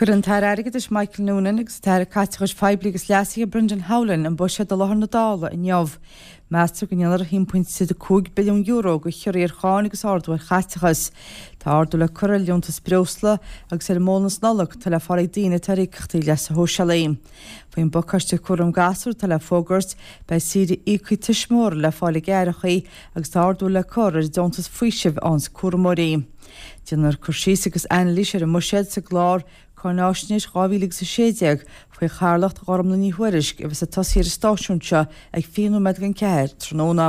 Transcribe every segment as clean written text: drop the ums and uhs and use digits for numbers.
Cuirfidh an tAire Airgeadais Michael Noonan agus an tAire Caiteachais Phoiblí agus Leasaithe Brendan Howlin an buiséad i láthair na Dála inniu. Meastar go ndéanfar €1.5 billiún de chiorruithe ar cháin agus ardú ar chaiteachas. Tá ardú le cur ar liúntas breosla agus ar an mbónas Nollag atá le fáil ag daoine atá ar íocaíochtaí leasa shóisialaigh. Faoin bpacáiste cúram gasúr atá le fógairt, beidh saoire íoctha tuismitheora le fáil ag aithreacha agus tá ardú le cur ar an deontas faoisimh a fhaigheanns cúramóirí. Déanfar cur síos agus anailís ar an mbuiséad sa gclár Cáináisnéis 2016 faoi chathaoirleacht Ghormlaith Ní Thuairisg a bheas ag tosaí ar an stáisiún seo ag 20 nóiméad don cheathair tráthnóna.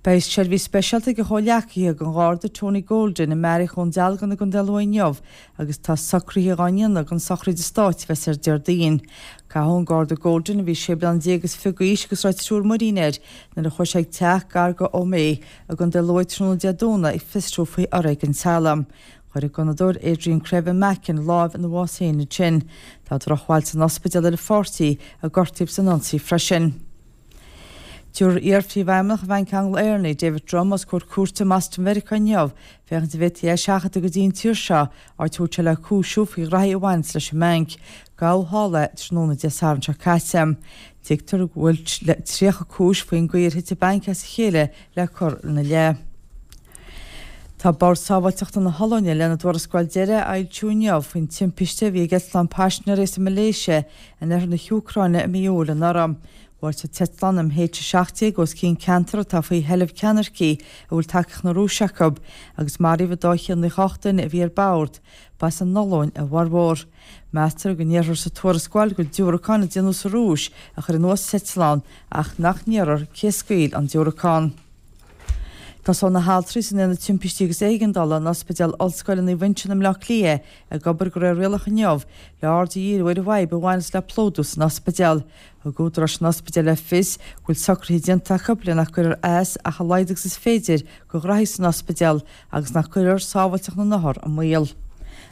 Beidh seirbhís speisialta ag a chomhghleacaithe don Gharda Tony Golden i mBeairic Dhún Dealgan i gContae Lú inniu agus tá socruithe dhá ndéanamh don sochraid stáit a bheas ar Déardaoin. Caitheadh an Garda Golden, a bhí sé bliana déag is fiche d'aois agus a raibh triúr muirín air nuair a chuaigh sé ag teach gar do Ó Méith i gContae Lú tráthnóna Dé Domhnaigh ag fiosrú faoi fhoréigean teaghlaigh. Chuir an gunnadóir Adrian Crevan Mackin láimh ina bhás féin ansin. Tá drochbhail san ospidéal ar a pháirtí a gortaíodh san ionsaí freisin. Tabharfar iar-phríomhfheidhmeannach Bhanc Angla-Éireannaigh, David Drumm, os comhair cúirte i mBoston Mheiriceá inniu féachaint an bhféadfaí é a sheachadadh go dtí an tír seo, áit a bhfuil sé le cúisiú faoi ghraithí a bhaineanns leis an mbanc. Gabhadh thall é tráthnóna Dé Sathairn seo caite. Tuigtear go bhfuil 30 cúis faoin gcaoi ar thit an banc as a chéile le cur ina leith. Tá Bord Sábháilteachta na hOllainne lena dtuarascáil deiridh a fhoilsiú inniu faoin timpiste a bhí ag eitleán paisinéirí as an Malaeisia in oirthear na hÚcráine i mí Iúil anuraidh. Bhuail an t-eitleán MH17 os cionn ceantar atá faoi sheilbh ceannaircigh a bhfuil tacaíocht na Rúise acu, agus maraíodh an 298 duine a bhí ar bord, ba as an Ollainn a bhformhór. Meastar go ndéarfar sa tuarascáil gur diúracán a déanadh sa Rúis a chuir anuas an t-eitleán ach nach ndéarfar cé a scaoil an diúracán. Tosóidh na haltraí san Aonad Timpistí agus Éigeandála in Ospidéal Ollscoile Naomh Uinseann i mBleá Cliath ag obair de réir rialach inniu le aird a dhíriú ar an bhfadhb a bhaineas le plódú san ospidéal. Thug údaráis an ospidéil le fios go bhfuil socruithe déanta acu le nach gcuirfear as ach a laghad agus is féidir do ghraithí san ospidéal agus nach gcuirfear sábháilteacht na n-othar i mbaol.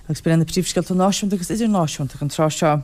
Agus b'in iad na príomhscéalta náisiúnta agus idirnáisiúnta ag an tráth seo.